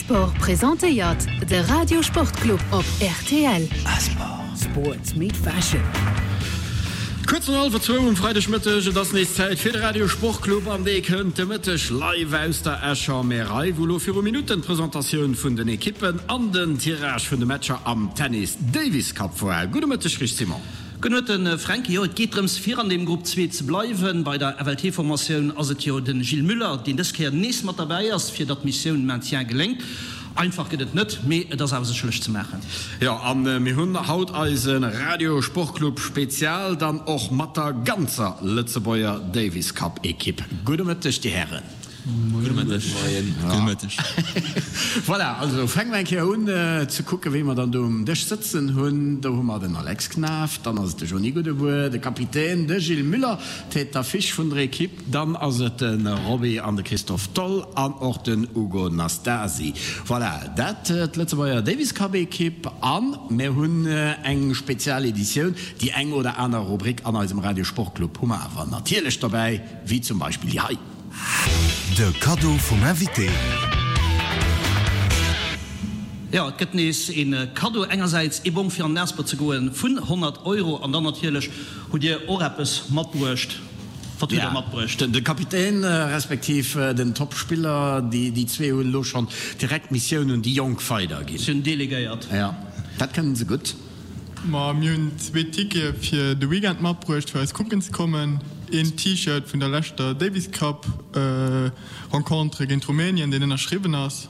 Asport presentéiert de Radio Sportclub op rtl. Asport. Sports meet fashion. Kuerz no hallwer zwou um Freidegmëtteg, et ass nees Zäit fir de Radio Sportclub an dee kënnt de Mëtteg live aus der Escher Märei, wou elo viru Minutten d'Presentatioun vun den Ekippen an den Tirage vun de Matcher am Tennis Davis Cup war. Gudde Mëtteg Rich Simon. Gudde Mëtten Fränki. Jo, et geet drëms fir an dem Grupp 2 ze bleiwen. Bei der FLT-Formatioun ass et jo de Gilles Muller, deen dës Kéier nees mat derbäi ass, fir datt d'Missioun Maintien geléngt. Einfach gëtt et net, mee et ass awer sécherlech ze maachen. Jo, a mir hunn haut eise Radio Sportclub Spezial dann och mat der ganzer Lëtzebuerger Davis Cup Ekipp. Gudde Mëtteg, Dir Hären. Gudde Mëtteg. Gudde Mëtteg. Voilà, also fänke mer eng Kéier un ze kucken, wéi mer dann do um Dësch sëtzen hunn. Do hu mer den Alex Knaff, dann ass et de Jony Goudebour, de Kapitän, de Gilles Muller, Tête d'affiche vun der Ekipp. Dann ass et de Roby an de Christophe Tholl an och den Ugo Nastasi. Voilà, dat d'Lëtzebuerger Davis Cup Ekipp. A mir hunn eng spezial Editioun. Déi eng oder aner Rubrik an eisem Radio Sportclub hu mer awer natierlech dobäi, wéi zum Beispill déi hei. De Kaddo vum Invité. Jo, et gëtt nees ee Kaddo. Engersäits ee Bong fir an den Asper ze goen vun 100 Euro an dann natierlech hutt Dir och eppes matbruecht. Wat hutt Der matbruecht? De Kapitän respektiv den Topspiller, déi zwee hunn elo schonn direkt d'Missioun un déi Jonk weiderginn. Si hunn delegéiert. Jo, dat kënnen se gutt. Ma mir hunn zwee Tickete fir de Weekend matbruecht, fir eis kucken ze kommen. Een T-Shirt vun der leschter Davis Cup Rencontre géint Rumänien, deen ënnerschriwwen ass.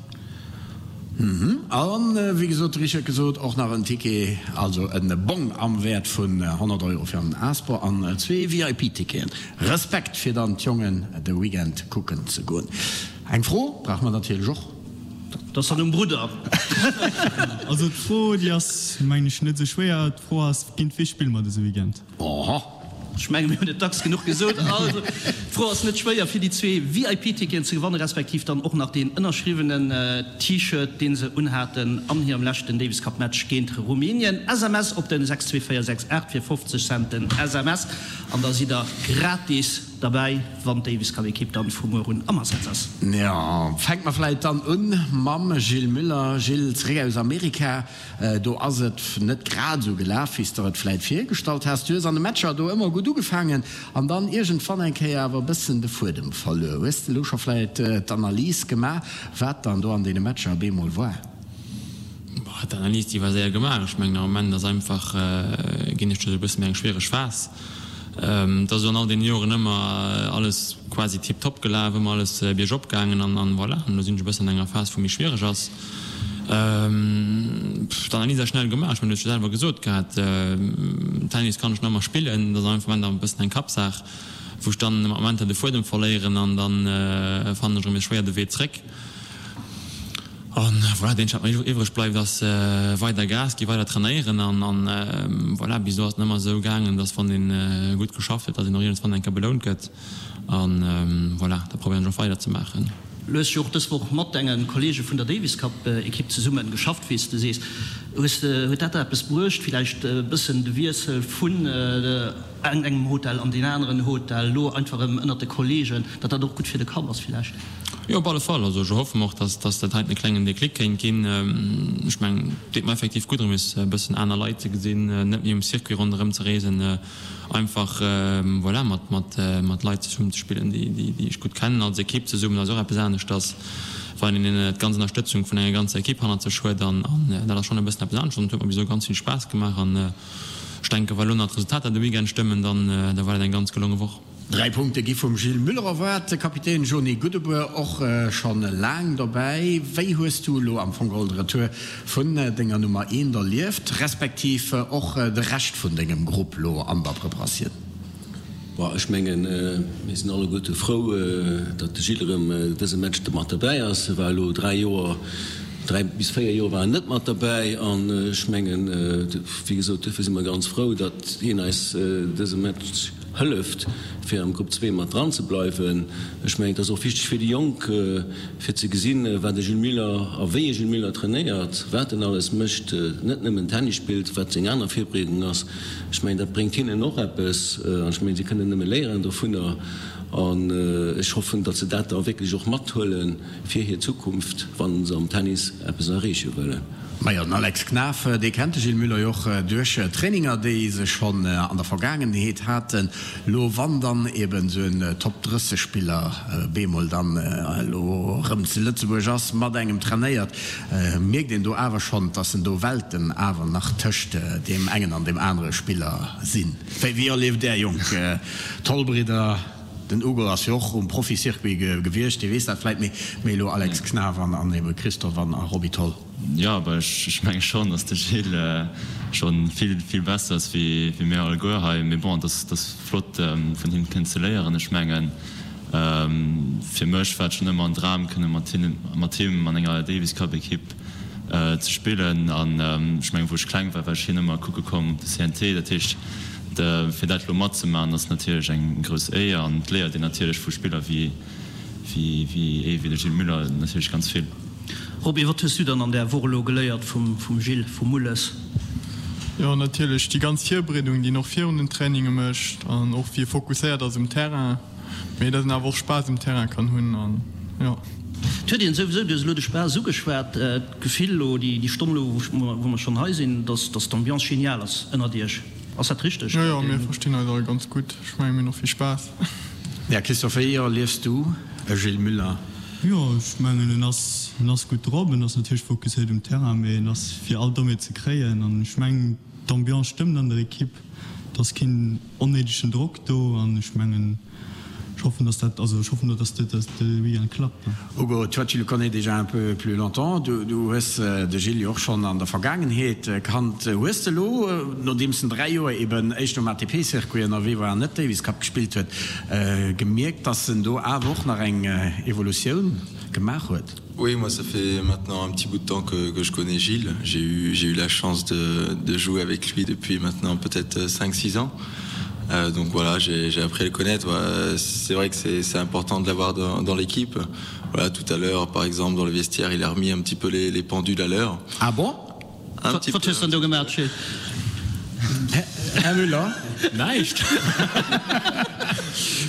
An wéi gesot, de Richard gesot, och nach en Ticket, also en Bong am Wäert vun 100 Euro fir an den Asper an zwee VIP-Ticketen. Respekt fir dann d'Jongen de Weekend kucken ze goen. Eng Fro brauche mer natierlech och. Dat ass dann um Brudder. Also d'Fro déi ass mengen ech net esou schwéier. D'Fro ass, géint wee spille mer dëse Weekend? Oho. Ech menge mir hunn et dacks genuch gesot. Also, d'Fro ass net schwéier, fir déi zwee VIP-Ticketen ze gewannen, respektiv dann och nach deen ënnerschriwwenen T-Shirt, dee se unhaten an hirem leschten Davis Cup Match géint Rumänien. SMS op den 62468 fir 50 Cent den SMS an da sidd der gratis derbäi, wann d'Davis Cup Ekipp dann vu muer un am Asaz ass. Jo, fänke mer vläit dann un mam Gilles Muller. Gilles, zeréck aus Amerika. Do ass et net grad esou gelaf, wéi s der et vläit virgestallt has. Du hues an de Matcher do ëmmer gutt ugefaangen an dann iergendwann eng Kéier awer e bëssen de Fuedem verluer. Hues de elo scho vläit d'Analys gemaach, wat dann do an deene Matcher op eemol war? Boah, d'Analys, déi war séier gemaach. Ech mengen, am Moment ass einfach, ginn ech duerch e bësse méi eng schwiereg Phas. Et ass jo an all deene Joren ëmmer alles quasi tiptop gelaf, ëmmer alles biergop gaangen an voilà. An elo sinn ech e bëssen an enger Phas, wou méi schwiereg ass. D'Analys ass schnell gemaach, ech mengen, du hues jo selwer gesot gehat, Tennis kann ech nach ëmmer spillen, dat ass am Moment awer e bëssen eng Kappsaach, wou ech dann mat Momenter de Fuedem verléieren an dann fannen ech erëm nees schwéier de Wee zréck. An voilà, dat eenzegt wat mer iwwreg bleift ass weider Gas ginn, weider trainéieren an voilà, bis elo ass et ëmmer esou gaangen, dass wann een gutt geschafft huet, dass een och iergendswann eng Kéier belount gëtt. An voilà, da probéieren ech och weider ze maachen. Du hues jo och dës Woch mat denge Kollege vun der Davis Cup Ekipp zesumme geschafft, wéi s de sees. Hues de, huet dat der eppes bruecht, villäicht e bëssen de Wiessel vun engem Hotel an deen aneren Hotel, elo einfach erëm ënnert de Kollegen, datt dat och gutt fir de Kapp ass villäicht? Jo, op alle Fall. Also ech erhoffe mer och, datt datt dat heiten e klengen Déclic kéint ginn. Ech mengen, et deet mer effektiv gutt erëm nees e bëssen aner Leit ze gesinn, net méi um Circuit ronderëm ze reesen. Einfach voilà mat mat mat Leit zesummen ze spillen, déi déi déi ech gutt kennen, als Ekipp zesummen ass och eppes aneschters, wann een d'ganz Ënnerstëtzung vun enger ganzer Ekipp hannert sech huet an an dat ass schonn e bëssen eppes aneschters an et huet mer bis elo ganz vill Spaass gemaach an ech denken, wa lo nach d'Resultater de Weekend stëmmen, dann da war dat eng ganz gelonge Woch. Dräi Punkte gi vum Gilles Muller erwaart. De Kapitän Jony Goudebour och schonn laang dobäi. Wéi hues du elo am Fong geholl de Retour vun denger Nummer eent erlieft, respektiv och de Rescht vun dengem Grupp lo an der Preparatioun? Bon, ech mengen, mir sinn alleguerte frou, datt de Gilles erëm dëse Match mat derbäi ass. E war elo dräi Joer, dräi bis véier Joer war en net mat derbäi an ech mengen, wéi gesot, duerfir si mer ganz frou, datt hien eis dëse Match hëlleft fir am Grupp 2 mat dran ze bleiwen. Ech mengen et ass och wichteg fir déi Jonk fir ze gesinn wat e Jules Muller a wéi e Jules Muller trainéiert, wat en alles mécht, net nëmmen Tennis spillt, wat seng aner Virbereedung ass. Ech mengen dat bréngt hinnen och eppes an ech mengen si kënnen nëmme léieren dovunner. An ech hoffen, datt se dat da wierklech och mathuele fir hir Zukunft, wa se am Tennis eppes erreeche wëllen. Majo, den Alex Knaff, dee kennt de Gilles Müller jo och duerch Traininger, déi se schonn an der Vergaangenheet haten. Lo wann dann eben esou en Top 30 Spiller bemol dann elo erëm zu Lëtzebuerg ass, mat engem trainéiert, mierkt een do awer schonn, dass en do Welten awer nach tëscht deem engen an deem anere Spiller sinn. Wéi erlieft Är jonk Toll-Bridder? Den Ugo ass jo och um Profi-Circuit gewiescht, dee weess dat vläit méi, mee elo Alex Knaff an ebe Christophe an Roby Tholl. Jo, awer ech menge schonn, datt de Gilles scho vill, vill besser ass wéi mir alleguer hei. Mee bon, et ass flott vun him kënnen ze léieren. Ech mengen, fir mech war et schonn ëmmer en Dram, kënne mat him an enger Davis Cup Ekipp ze spillen. An ech mengen, wou ech kleng war, war ech hien ëmmer kucke komm op de CNT. Dat heescht, fir dat elo matzemaachen, ass natierlech eng grouss Éier an et léiert een natierlech vu Spiller wéi ee wéi de Gilles Muller natierlech ganz vill. Roby, wat hues du dann an där Woch elo geléiert vum Gilles, vum Mulles? Jo, natierlech déi ganz Virbereedung, déi en och virun den Traininge mécht an och wéi e fokusséiert ass um Terrain, mee dass en awer och Spaass um Terrain kann hunn an jo. Et huet een souwisou, du hues elo de Spaass ugeschwat, d'Gefill elo déi Stonn elo, wou mer schonn hei sinn, dass d'Ambiance genial ass ënnert iech. Ass dat richteg? Jo, jo, mir verstinn eis all ganz gutt. Ech mengen, mir hunn och vill Spaass. Ja, Christophe, wéi erliefs du e Gilles Muller? Jo, ech mengen, en ass, en ass gutt drop. En ass natierlech fokusséiert um Terrain, mee en ass fir all Dommheet ze kréien. An ech mengen, d'Ambiance stëmmt an der Ekipp. Et ass keen onnéidegen Drock do an ech mengen, Ech hoffen, dass dat, also ech hoffen, dass dat de Weekend klappt. Hugo, toi tu le connais déjà un peu plus longtemps, du hues de Gilles jo och schonn an der Vergaangenheet kannt. Hues de elo, nodeems en 3 Joer eben éischter um ATP-Circuit ënnerwee war an net Davis Cup gespillt huet, gemierkt, dass en do awer och nach eng Evolutioun gemaach huet? Oui, moi ça fait maintenant un petit bout de temps que, que je connais Gilles. J'ai eu, j'ai eu la chance de, de jouer avec lui depuis maintenant peut-être 5-6 ans. Euh, donc voilà, j'ai appris à le connaître. Ouais, c'est vrai que c'est important de l'avoir dans, dans l'équipe. Voilà, tout à l'heure, par exemple, dans le vestiaire, il a remis un petit peu les, les pendules à l'heure. Ah bon? Un petit peu. Här Müller? Näischt.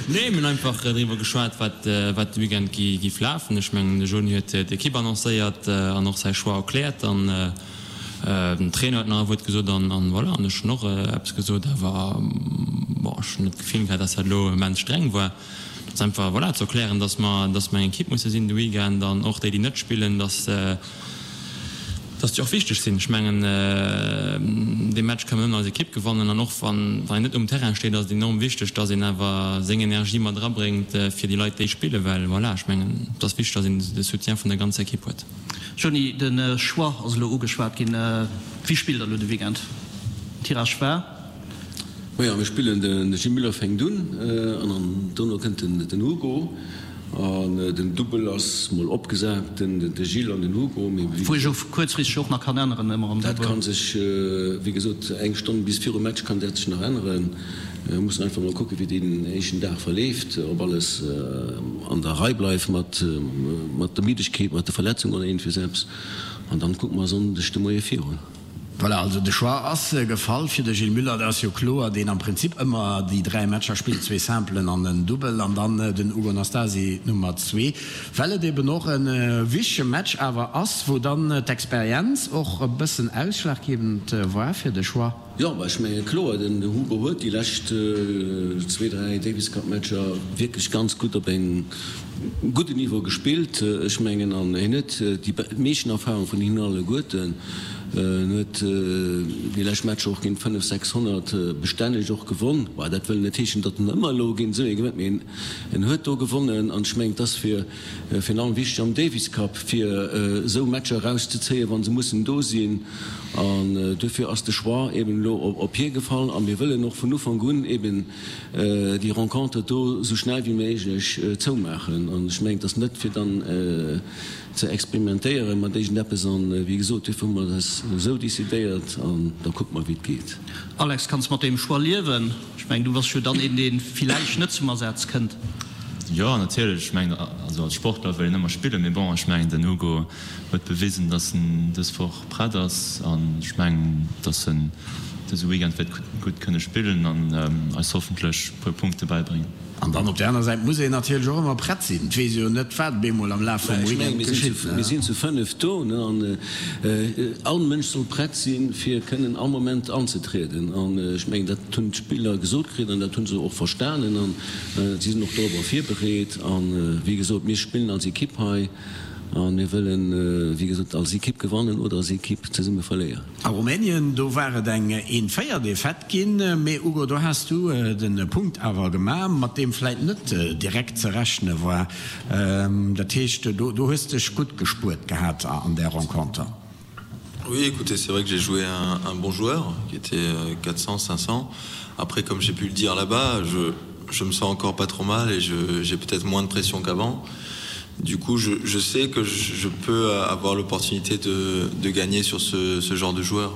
Nee, mir hunn einfach driwwer geschwat, wat wat de Weekend giff lafen. Ech mengen, de Joni huet d'Ekipp annoncéiert an och säi Choix erkläert an den Trainer huet nach e Wuert gesot an an voilà. An ech hunn och eppes gesot, awer bon, ech hunn net d'Gefill gehat, dass dat elo immens streng war. Et ass einfach, voilà, ze erklären, dass mer dass mer eng Ekipp musse sinn de Weekend an och déi, déi net spillen, dass dass déi och wichteg sinn. Ech mengen, dee Match ka mer nëmmen als Ekipp gewannen an och wann een net um Terrain steet, ass et enorm wichteg, dass een awer seng Energie mat erabréngt fir déi Leit, déi spillen, well voilà, ech mengen, et ass wichteg, dass een de Soutien vun der ganzer Ekipp huet. Johny, de Choix ass elo ugeschwat ginn. Wie spillt elo de Weekend? Tirage war? Majo, mir spillen, de Gilles Muller fänkt un an dono kënnt den Hugo an den Dubbel ass mol opgesat, de Gilles an den Hugo. Mee wéi Wou sech kuerzfristeg och nach kann änneren ëmmer am Dubbel. Dat kann sech, wéi gesot, eng Stonn bis virum Match kann dat sech nach änneren. Mir mussen einfach mol kucken, wéi deen éischten Dag verleeft, ob alles an der Rei bleift mat der Middegkeet, mat de Verletzungen oder iergendwéi eppes an dann kucke mer e Sonndeg de Moie virun. Voilà, also de Choix ass gefall fir de Gilles Muller. Dat ass jo kloer, deen am Prinzip ëmmer déi 3 Matcher spillt, zwee Simpelen an en Dubbel, an dann den Ugo Nastasi Nummer zwee, well et eben och e wichtege Match awer ass, wou dann d'Experienz och e bëssen ausschlaggebend war fir de Choix. Jo, mä ech menge kloer, den Hugo huet déi lescht zwee, dräi Davis Cup Matcher wierklech ganz gutt op engem gudden Niveau gespillt. Ech mengen, an hien huet déi meeschten Erfahrung vun hinnen alleguerten. En huet déi lescht Matcher och géint 500, 600 bestänneg och gewonn. Bon, dat wëll net heeschen, datt en ëmmer elo géint esou ee gewënnt, mee en huet do gewonnen. An ech mengen, et ass fir virun allem wichteg am Davis Cup, fir esou Matcher erauszezéien, wa se mussen do sinn. An duerfir ass de Choix eben elo op hie gefall. A mir wëllen och vun Ufank un eben déi Renconter do esou schnell wéi méiglech zoumaachen. An ech mengen, et ass net fir dann ze experimentéiere mat iergendeppes. An, wéi gesot, duerfir hu mer dat esou décidéiert an da kucke mer, wéi et geet. Alex, kanns mat deem Choix liewen? Ech mengen, du bass jo dann een, dee villäicht net zum Asaz kënnt. Jo, natierlech. Ech mengen, also als Sportler wëll een ëmmer spillen. Mee bon, ech mengen, den Hugo huet bewisen, dass en dës Woch prett ass an ech mengen, dass en dëse Weekend wäert gutt kënne spillen an eis hoffentlech e puer Punkte bäibréngen. An dann op där aner Säit muss een natierlech och ëmmer prett sinn. Et weess ee jo net, wat op eemol am Laf vum Weekend geschitt. Mir sinn zu 5 do an all Mënsch soll prett sinn, fir kënnen all Moment anzetrieden. An ech mengen, dat hunn d'Spiller gesot kritt an dat hu se och verstanen an si sinn och dorobber virbereet. A wéi gesot, mir spillen als Ekipp hei a mir wëllen, wéi gesot, als Ekipp gewannen oder als Ekipp zesumme verléieren. A Rumänien, do war et eng een 4 Defaite ginn, mee Ugo, do has du den Punkt awer gemaach, mat deem vläit net direkt ze rechne war. Dat heescht, do hues dech gutt gespuert gehat an där Renconter. Oui, écoutez, c'est vrai que j'ai joué un, un bon joueur qui était 400 500 après comme j'ai pu le dire là-bas je je me sens encore pas trop mal et j'ai peut-être moins de pression qu'avant du coup je, je sais que je, je peux avoir l'opportunité de, de gagner sur ce, ce genre de joueur.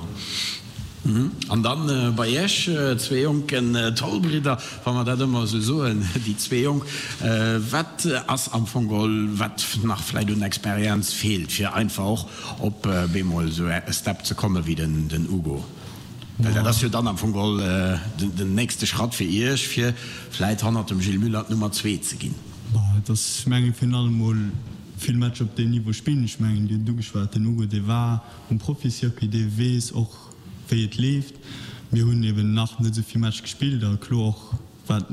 Mhm. An dann äh, bei Iech äh, zwee jonken äh, Tollbridder, wa mer dat ëmmer esou soen, déi zwee Jonk, äh, wat ass am Fong geholl, wat nach vläit un Experienz feelt, fir einfach och op äh, bemol esou e Step ze komme wéi den, den Ugo? Well dat ass jo dann am Fong geholl äh, den, den nächste Schratt fir Iech, fir vläit hannert dem Gilles Muller d'Nummer zwee ze ginn. Bah, et ass, meng ech, virun allem mol vill Matcher op deem Niveau spillen. Ech mengen, Dir hutt et ugeschwat, den Ugo, dee war um Proficyircuit, dee weess och, wéi et leeft. Mir hunn eben nach net esou vill Match gespillt a kloer och, wat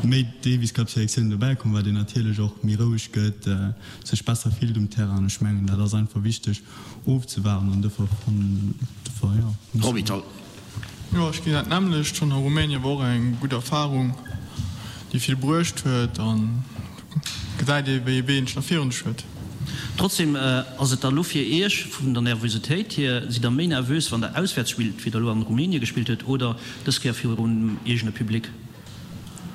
méi Davis Cup Selektiounen dobäi kommen, wat een natierlech och méi roueg gëtt, sech besser fillt um Terrain. An ech mengen, dat ass einfach wichteg ofzewaarden an dofir, dofir, jo, muss. Roby Tholl. Jo, ech ginn dat nämmlecht. Schonn a Rumänien war och eng gutt Erfarung, déi vill bruecht huet an gesäit ee wéi ee Wee een nach virun sech huet. Trotzdem ass et da lo fir Iech vun der Nervositéit hier, sidd der méi nervös wann der auswäerts spillt wéi der lo an Rumänien gespillt huet oder dës Kéier virum eegene Public?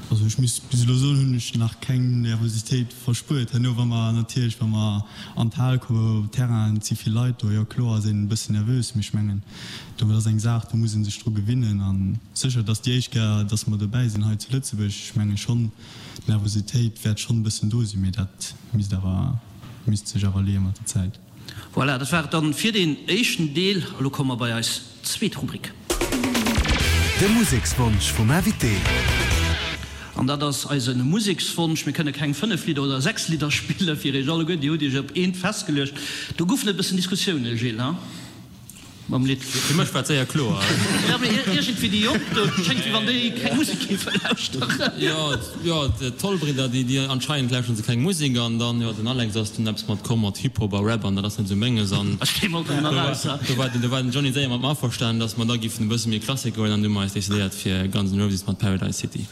Also ech muss bis elo soen, hunn ech nach keng Nervositéit verspuert. Herno wa mer natierlech, wa mer an d'Hal kommen, op Terrain, et si vill Leit do, jo kloer ass een e bëssen nervös, mee ech mengen do ass eng Saach, do muss ee sech dru gewinnen. A sécher, et ass déi éischt Kéier, datt mer dobäi sinn hei zu Lëtzebuerg. Ech menge schonn, d'Nervositéit wäert schonn e bëssen do sinn, mee dat misst awer, misst sech awer leeë mat der Zäit. Voilà, dat war et dann fir deen éischten Deel. Elo komme mer bei eis zweet Rubrik. De Musekswonsch vum Invité. An dat ass eise Musekswonsch. Mir kënne keng 5 Lidder oder 6 Lidder spille fir iech alleguer. Dir hutt iech op eent festgeluecht. Do goufen et e bëssen Diskussiounen, Gilles, ha? Mam Lidd. Fir mech war et séier kloer. Jo, mee iergendwéi déi Jonk do, et schéngt wéi wann déi keng Musek géife lauschteren. Jo, jo, d'Tollbridder, déi, déi anscheinend lauschteren se keng Musek an dann, jo, den Alex ass dunn eppes mat komm mat Hip-Hop a Rap an dat ass net esou menges an Ech kéim och drënner eraus, ha. do war den, do war den Johny séier mat mer averstanen, dass mer da giffen e bësse méi Klassik goen an du hu mer eis decidéiert fir Guns N' Roses mat Paradise City.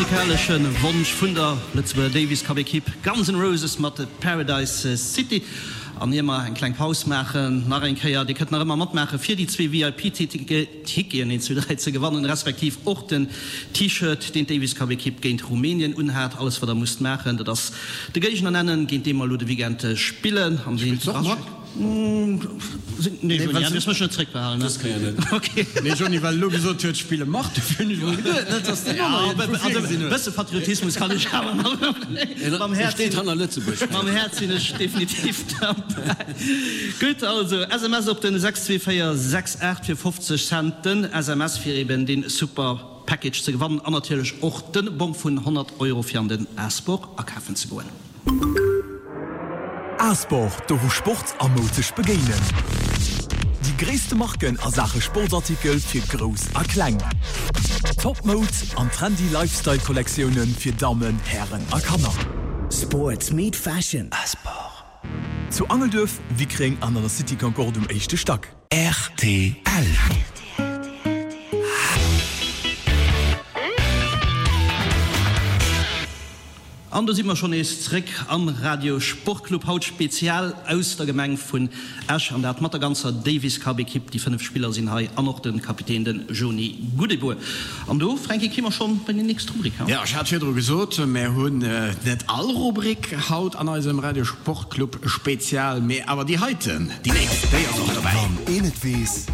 musikalesche Wonsch vun der Lëtzebuerger Davis Cup Equipe Guns N' Roses mat Paradise City. An ier mer eng kleng Paus maachen, nach eng Kéier, Dir kënnt nach ëmmer matmaache fir déi zwee VIP-Ticketen, een, zwee, dräi, ze gewannen, respektiv och den T-Shirt, deen d'Davis Cup Equipe géint Rumänien unhat. Alles wat der musst maachen, dat ass de Géigner nennen, géint dee mer elo de Weekend spillen. An deen Spills de och mat? Nee, Joni, du hues mech net zréckbehalen, ne? Dës Kéier net. Okay. Nee, Joni, well e lo gesot huet, spille mat, dofir hunn ech emol geduet, net dass deen aner iergendwou virgesinn huet. E bësse Patriotismus kann ech awer nach. Mam E Häerz steet hanner Lëtzebuerg. Mam Häerz sinn ech definitiv derbäi. Gutt, also SMS op den 62468 fir 50 Cent den SMS fir eben dee super Package ze gewannen an natierlech och de Bong vun 100 Euro fir an den A-Sport akafen ze goen. A-Sport, do wou Sport a Moud sech begéinen. Déi gréisste Marken a Saache Sportsartikel fir Grouss a Kleng. Top Moud an trendy Lifestyle Kollektioune fir Dammen, Hären a Kanner. Sports meet fashion. A-Sport. Zu Angelduerf, Wickreng an an der City Concorde um éischte Stack. Rtl. An do si mer schonn nees zréck am Radio Sportclub, haut spezial aus der Gemeng vun Esch an dat mat der ganzer Davis Cup Equipe. Déi 5 Spiller sinn hei an och de Kapitän, de Joni Goudebour. An do, Fränki, kri mer schonn bei déi nächst Rubrik. Jo, ech hat virdru gesot, mär hunn net all Rubrik haut an eisem Radio Sportclub Spezial, mee awer déi heiten, déi nächst, déi ass och dobäi. Wann een et weess.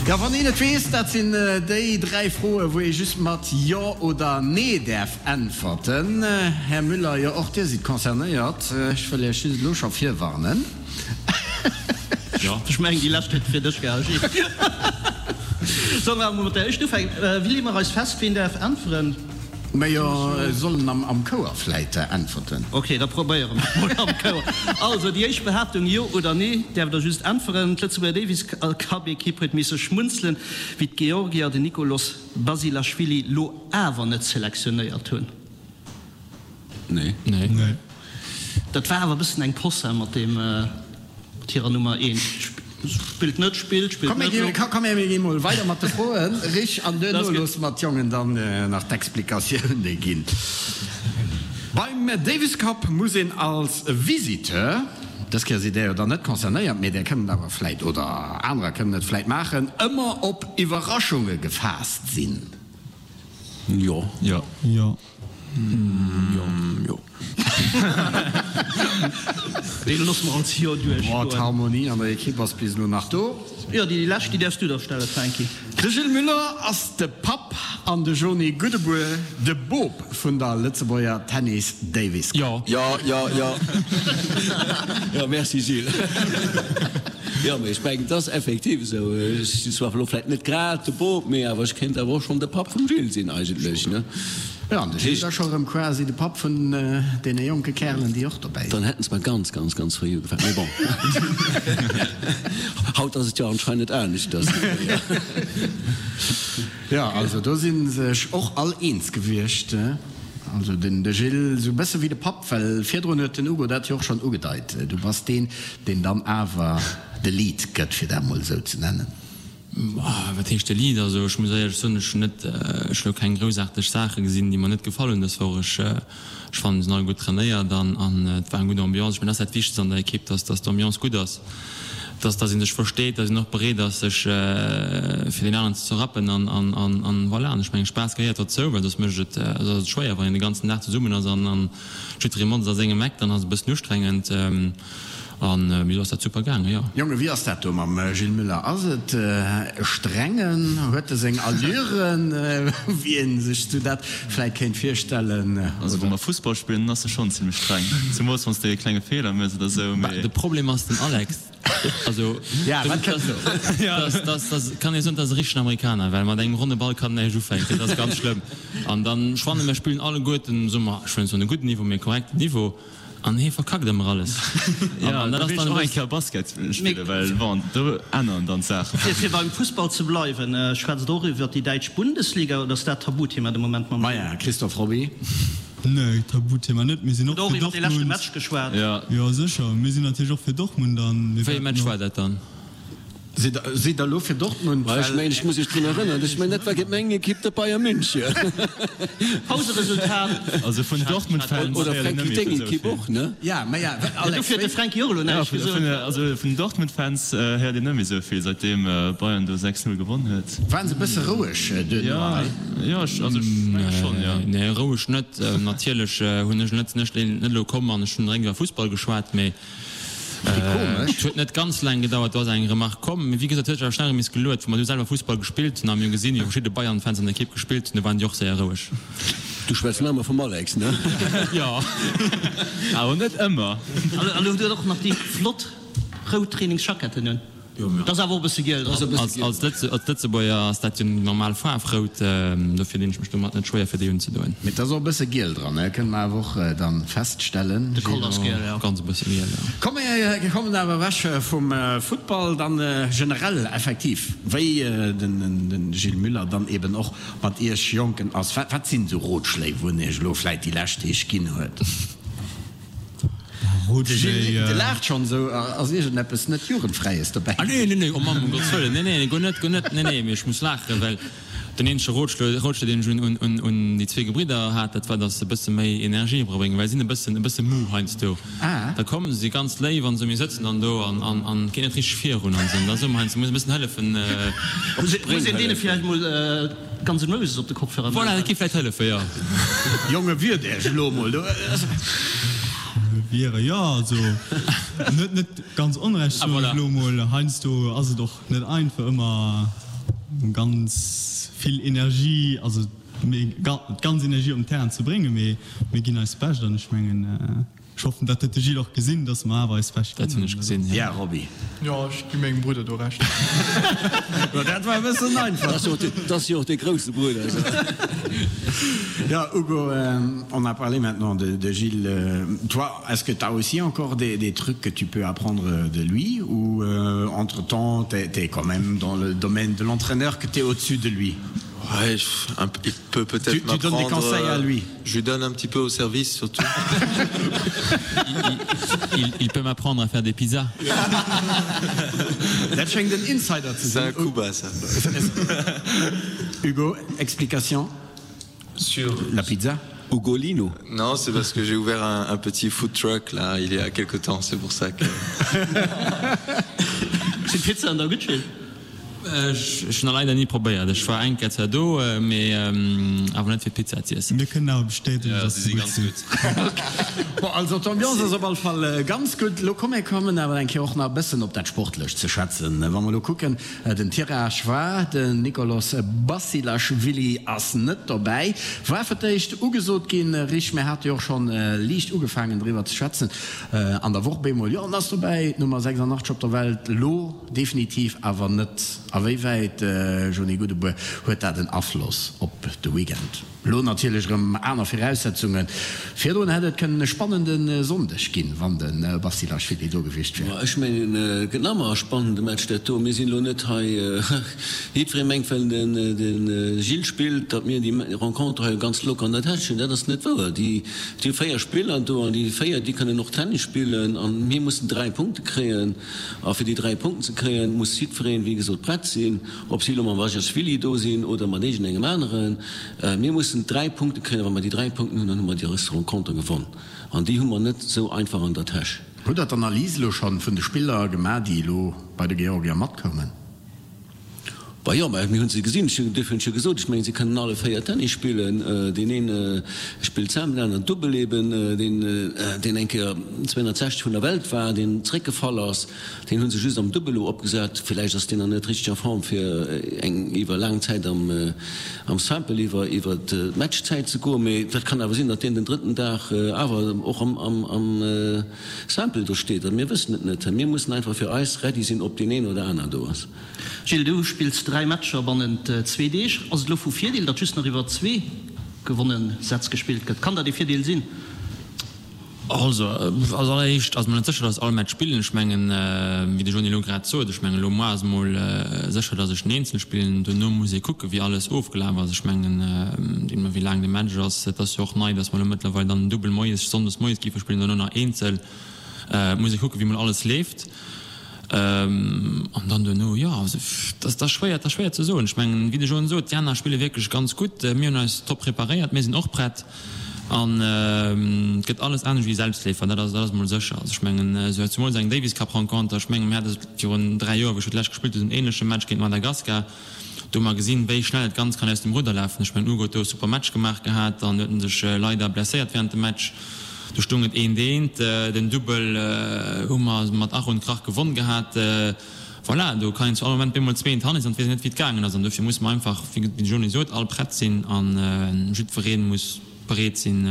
Jo, wann een et weess, dat sinn déi 3 Froen, wou ee just mat Jo oder Nee däerf Äntwerten. Här Müller, jo och Dir sidd concernéiert. Ech wëll Iech just elo scho virwarnen. Jo, ech mengen déi lescht huet fir dech gehal, Gilles. Solle mer emol mat der éischt ufänken? Wéi leeë mer eis fest, ween däerf äntweren? Majo, sollen am Chouer vläit äntwerten. Ok, da probéiere mer emol am Chouer. Also, déi éischt Behaaptung, Jo oder Nee, däerft Der just äntweren. D'Lëtzebuerger Davis Cup Ekipp huet misse schmunzelen, wéi d'Georgier den Nikolos Basilashvili lo Awer net selektionéiert hunn. Nee. Nee. Dat war awer e bëssen eng Posse mat deem, mat hirer Nummer eent. Spillt net, spillt, spillt net. Komm, mir gi mol weider mat de Froen, Rich, an duerno loosse mer d'Jongen dann nach d'Explikatioune ginn. Beim Davis Cup muss een als Visiteur, dës Kéier sidd Där jo dann net concernéiert, mee Där kënnt et awer vläit, oder anerer kënnen et vläit maachen, ëmmer op Iwwerraschunge gefaasst sinn. Jo. Jo. Jo. Jo. Jo. Dee loosse mer als Jo duerchgoen. Boah, d'Harmonie an der Ekipp ass bis elo nach do. Jo, déi lescht, déi däerfs du da stellen, Franky. De Gilles Muller ass de Papp an de Joni Goudebour de Bop vun der Lëtzebuerger Tennis Davis Cup. Jo. Jo, jo, jo. Jo, merci Gilles. Jo, mee ech mengen, et ass effektiv esou. Ech sinn zwar elo vläicht net grad de Bop, mee awer ech kéint awer och schonn de Papp vum Gilles sinn eigentlech, ne? Jo, an de Gilles ass scho rëm quasi de Papp vun deene jonke Kärelen, déi och dobäi sinn. Dann hätten se mer ganz, ganz, ganz fréi ugefaangen. Mee bon, haut ass et jo anscheinend aneschters. Jo, also do si sech och all eens gewiescht. Also den de Gilles esou e bësse wéi de Papp, well virdrun huet den Hugo dat jo och schonn ugedeit, du bass deen, deen dann awer de Lead gëtt, fir dat mol esou ze nennen. Wat heescht de Lead? Also ech muss éierlech soen, ech hunn net, ech hu lo keng groussaarteg Saache gesinn, déi mer net gefall hunn dës Woch. Ech ech fannen, se sinn all gutt trainéiert an an et war eng gutt Ambiance. Ech mengen, dat ass dat Wichtegst an der Ekipp, dass dass d'Ambiance gutt ass, dass dass ee sech versteet, dass een och bereet ass, sech fir deen aneren ze zerrappen an an an an voilà. An ech mengen, Spaass gehéiert dozou, well soss mécht et, soss ass et schwéier, wann een de ganzen Dag zesummen ass an an jidderee motzt a sengem Eck, dann ass et e bëssen ustrengend. An mir do ass dat super gaangen, jo. Jongen, wéi ass dat do mam Gilles Muller? Ass et e strengen? Huet e seng Allüren, wéi ee sech sou dat vläit kéint virstellen? Also wa mer Fussball spillen, dann ass e schonn zimlech streng, zemools wann s de e klenge Feeler méchs oder sou, mee. De Problem ass den Alex, also dat kann ee soen, dat ass e richtegen Amerikaner, well mat engem ronne Ball kann en näischt ufänken, dat ass ganz schlëmm. An dann, ech fannen, mir spillen alleguerten, soe mer, ech wëll net soen e gudden Niveau, mee e korrekten Niveau. An hee verkackt ëmmer alles. Jo, an dat ass dann och eng Kéier Basket spillen, well bon, do änneren dann d'Saachen. Fir beim Fussball ze bleiwen, schwätzt Der och iwwert déi däitsch Bundesliga oder ass dat Tabuthema de Moment mam. Maja, Christophe Robby. Nee, Tabuthema net. Mir sinn och fir Hutt och iwwert dee leschte Dortmund. Match geschwat? Jo, sécher. Mir sinn natierlech och fir Dortmund an mir Wéi ee wäerten Match och. war dat dann? Sidd Der elo fir Dortmund? Ech mengen, ech muss Iech drun erënneren, ech mengen, dat war géint meng Ekipp, de Bayern München. Pauseresultat. Also vun Dortmund-Fans Oder héiert een Franky, net méi deng esou Ekipp vill. och, ne? Ja, mä ja, Alex, Dofir huet de Franky och elo näischt gesot. Also vun Dortmund-Fans héiert een net méi esou vill, säitdeem Bayern do 6, 0 gewonn huet. Waren se e bësse roueg duerno hei? Jo, also ech menge schonn, jo. Nee, roueg net. Natierlech hunn ech net, sinn ech net elo komm an ech hunn direkt iwwer Fussball geschwat, mee Et huet net ganz laang gedauert, do ass eng Remark komm. Mee wéi gesot, huet sech awer schnell erëm nees geluet. Wou mer du selwer Fussball gespillt hunn a mir hu gesinn, wéi verschidde Bayern-Fans an der Ekipp gespillt hunn, do waren déi och séier roueg. Du schwätz nach ëmmer vum Alex, ne? Jo. Awer net ëmmer. An elo hutt Dir och nach déi flott rout Trainingsjacketten un. Dat ass awer och e bësse giel dran. Als Lëtzebuerger ass dat jo normal Faarf, rout. Dofir dinn ech mech domat net schwéier fir déi unzedoen. Mee et ass och e bësse giel dran, ne? Kënne mer awer och dann feststellen. De Col ass giel, jo. Ganz e bësse giel, jo. Komm mir kommen awer ewech vum Futtball, dann generell effektiv, wéi den Gilles Müller dann eben och mat iech Jonken ass. Wat sinn esou Rotschléi, wou en iech elo vläit déi lescht Deeg ginn huet? De Gilles, de laacht schonn esou. Ass iergendeppes net Jugendfräies dobäi? Ah nee, nee, nee, oh Mamm, um Gottes Wëllen, nee, nee, guer net, guer net, nee, nee, mee ech muss laachen, well den eenzege Rotschlo, Rotschlo, deen ech un, un, un, un déi zwee Gebridder hat, dat war, dass se e bësse méi Energie erabréngen, well si sinn e bëssen, e bësse mou heiansdo. Ah. Da kommen se, si ganz léif an esou, mir sëtzen dann do an, an, an et geet net richteg virun an esou, an da soe mer heiansdo, muss e bëssen hëllefen, op Muss d'Spréng een deene hëllefen. villäicht mol Guns N' Roses op de Kopfhörer Voilà, dat géif vläit hëllefen, jo. Jonge, wiert Iech elo emol do. Wiere, jo, also en huet net ganz Onrecht, soen ech elo emol. Heiansdo ass et och net einfach ëmmer ganz vill Energie, also d'ganz Energie op den Terrain ze bréngen, mee mir ginn eist Bescht an ech mengen, Ech hoffen, dat huet de Gilles och gesinn, dass mer awer eis Bescht Dat ginn. hunn ech gesinn, Ja, Roby. Jo, ech gi mengem Brudder do Recht. Jo, dat war e bëssen einfach. Dat ass jo och dee grousse Brudder. Jo, Ugo, on a parlé maintenant de de Gilles. Toi, est-ce que t'as aussi encore des des trucs que tu peux apprendre de lui ou entre-temps t'es t'es quand même dans le domaine de l'entraîneur que t'es au-dessus de lui? Ouais, un il peut peut-être Tu, tu donnes des conseils à lui. Je lui donne un petit peu au service surtout. il, il, il peut m'apprendre à faire des pizzas. Dat schéngt en Insider ze C'est un sinn. coup bas ça. Hugo, explication Sur la pizza? Ugolino. Non, c'est parce que j'ai ouvert un, un petit food truck là il y a quelque temps, c'est pour ça que. Sinn d'Pizzaen da gutt, Gilles? Ech hunn nach leider ni probéiert. Ech war eng Kéier zwar do, mee awer net fir d'Pizza z'iessen. Mir kënnen awer bestätegen, Jo, dass se se si gutt ganz sinn. gutt. Bon, also d'Ambiance ass op all Fall ganz gutt. Lo komm mir kommen awer eng Kéier och nach e bëssen op dat Sportlecht ze schwätzen. Wa mer lo kucken, den Tirage war, den Nikolos Basilashvili ass net dobäi, war fir d'éischt ugesot ginn. Rich, mir hate jo och schonn liicht ugefaangen driwwer ze schwätzen an der Woch. Bemol, jo, en ass dobäi, d'Nummer 86 op der Welt elo. Definitiv awer net. A wéi wäit, Jony Goudebour, huet dat en Afloss op de Weekend? Elo natierlech erëm aner Viraussetzungen. Virdrun hätt et kënnen e spannende Sonndeg ginn, wann de Basilashvili do gewiescht wier. Ma ech mengen, et gëtt nach ëmmer e spannende Match dat do. Mir sinn elo net hei, jiddweree mengt, well de Gilles spillt, datt mir déi Renconter hei ganz locker an der Täsch hunn. Dat ass net wouer. Déi hu 4 Spiller do an déi 4, déi kënnen och Tennis spillen an mir mussen 3 Punkte kréien. A fir déi 3 Punkten ze kréien, muss jiddwereen, wéi gesot, prett sinn, ob si elo mam Wajashvili do sinn oder mat iergendengem aneren. Mir mussen 3 Punkte kréien a wa mer déi 3 Punkten hunn, dann hu mer déi Renconter gewonn. An déi hu mer net esou einfach an der Täsch. Hutt Der d'Analys elo schonn vun de Spiller gemaach, déi elo bei de Georgier matkoumen? Bah jo, mä mir hunn se gesinn. Ech hunn, duerfir hunn ech jo gesot, ech mengen, si kënnen alle 4 Tennis spillen. Deen een spillt Simple, deen aneren Dubbel eben, deen, deen eng Kéier 260 vun der Welt war, deen zréckgefall ass, deen hu se just am Dubbel elo opgesat. Villäicht ass deen nach net richteg a Form fir eng iwwer laang Zäit am, am Simple iwwer, iwwer d'Matchzäit ze goen. Mee dat kann awer sinn, datt deen den drëtten Dag awer och am, am, am Simple do steet. Mir wëssen et net. Mir mussen einfach fir eis ready sinn, ob deen een oder aner do ass. Gilles, du spills 3 Matcher bannent zwee Deeg. Ass et elo vu Virdeel, datt just nach iwwer zwee gewonne Sätz gespillt gëtt? Kann dat ee Virdeel sinn? Also, als alleréischt ass mer net sécher, datt all Match spillen. Ech mengen, wéi de Jony elo grad sot, ech mengen elo moar ass emol sécher, datt ech den Eenzel spillen. Duerno muss ee kucken, wéi alles ofgelaf ass. Ech mengen, deemno wéi laang de Match ass, et ass jo och nei, datt mer elo mëttlerweil dann den Dubbel moies, sonndes moies géife spillen, duerno nach Eenzel. Et muss ee kucken, wéi emol alles leeft. An dann duerno, jo, also dat ass schwéier, dat ass schwéier ze soen. Ech mengen, wéi de Joan sot, déi aner spille wierklech ganz gutt. Mir hunn eis top preparéiert, mir sinn och prett an et gëtt alles anescht wéi Selbstleefer, dat ass, dat ass emol sécher. Also ech mengen, esou zemools eng Davis Cup Renconter, ech mengen, mir hate se virun 3 Joer, wou ech fir d'lescht gespillt hunn, en änleche Match géint Madagaskar. Do hu mer gesinn, wéi schnell et ganz kann aus dem Rudder lafen. Ech mengen, Hugo huet do e super Match gemaach gehat, dann huet en sech leider blesséiert während dem Match. Do stoung et eent eent. Den Dubbel hu mer mat Ach und Krach gewonn gehat. Voilà, do kann een zu all Moment bemol 2 eent hanne sinn an et weess een net, wéi et gaangen ass. An dofir musse mer einfach, wéi de Joni sot, all prett sinn a jiddweree muss bereet sinn,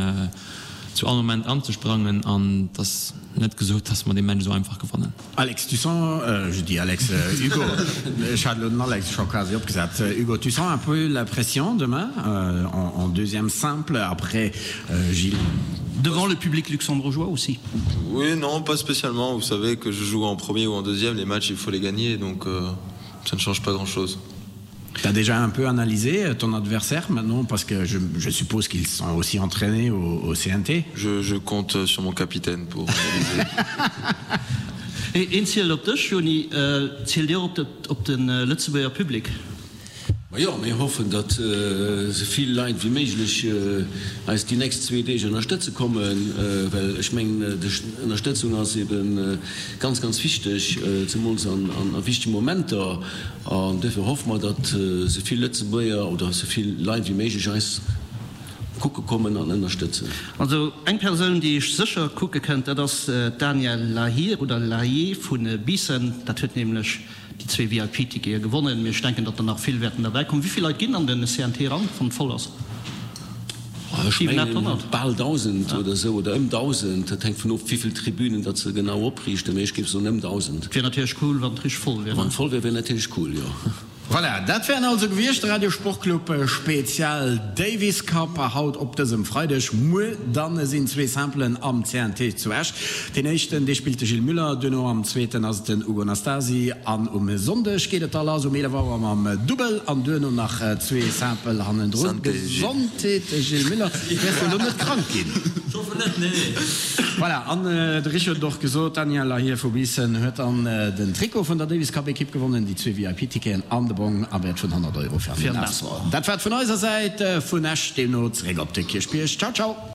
zu all Moment anzesprangen. An et ass net gesot, dass mer dee Match esou einfach gewannen. Alex, tu sens, je dis Alex, Hugo, ech hat elo den Alex scho quasi opgesat, Hugo, tu sens un peu la pression demain en deuxième simple après Gilles? Devant le public luxembourgeois aussi? Oui, non, pas spécialement, vous savez que je joue en premier ou en deuxième, les matchs il faut les gagner donc ça ne change pas grand chose. Tu as déjà un peu analysé ton adversaire maintenant parce que je, je suppose qu'ils sont aussi entraînés au, au CNT je, je compte sur mon capitaine pour analyser. Een zielt op dech, Joni. Zielt Dir op op de Lëtzebuerger Public? Majo, mir hoffen, datt esou vill Leit wéi méiglech eis déi nächst zwee Deeg ënnerstëtze kommen, well ech mengen, déi Ënnerstëtzung ass ebe ganz, ganz wichteg, zemools an wichtege Momenter. An duerfir hoffe mer, datt esou vill Lëtzebuerger oder esou vill Leit wéi méiglech eis kucke kommen an ënnerstëtzen. Also eng Persoun, déi iech sécher kucke kënnt, dat ass d'Danielle Lahir oder Lahier vu Biissen. Dat huet nämlech déi zwee VIP-Tickete gewonnen. Mee ech denken, datt der nach vill wäerten derbäi kommen. Wéi vill Leit ginn an den CNT eran, wann et voll ass? Ech mengen bal 1.000 oder esou, oder ëm 1.000. Dat hänkt vun of, wéi vill Tribünen datt se genau opriichten, mee ech géif soen ëm 1.000. Et wier natierlech cool, wann et richteg voll wier. Wann et voll wier, wier natierlech cool, jo. Voilà, dat wären also gewiescht de Radio Sportclub Spezial Davis Cup haut op dësem Freideg. Muer dann sinn zwee Simpelen am CNT zu Esch. Deen éischten, dee spillt de Gilles Müller, duerno am zweeten ass et den Ugo Nastasi an um Sonndeg geet et da lass um 11 Auer mam Dubbel an duerno nach zwee Simple hannendrun. Gesondheet Gilles Müller, wäers du elo net krank ginn? Ech hoffen net, nee. Voilà, an de Richo huet et och gesot, d'Danielle Lahir vu Biissen huet dann den Trikot vun der Davis Cup Ekipp gewonnen, déi zwee VIP-Ticketen an de Bong am Wäert vun 100 Euro fir an den Asbl. Dat war et vun eiser Säit vun Esch, deemno zeréck op de Kierchbierg. Ciao, ciao!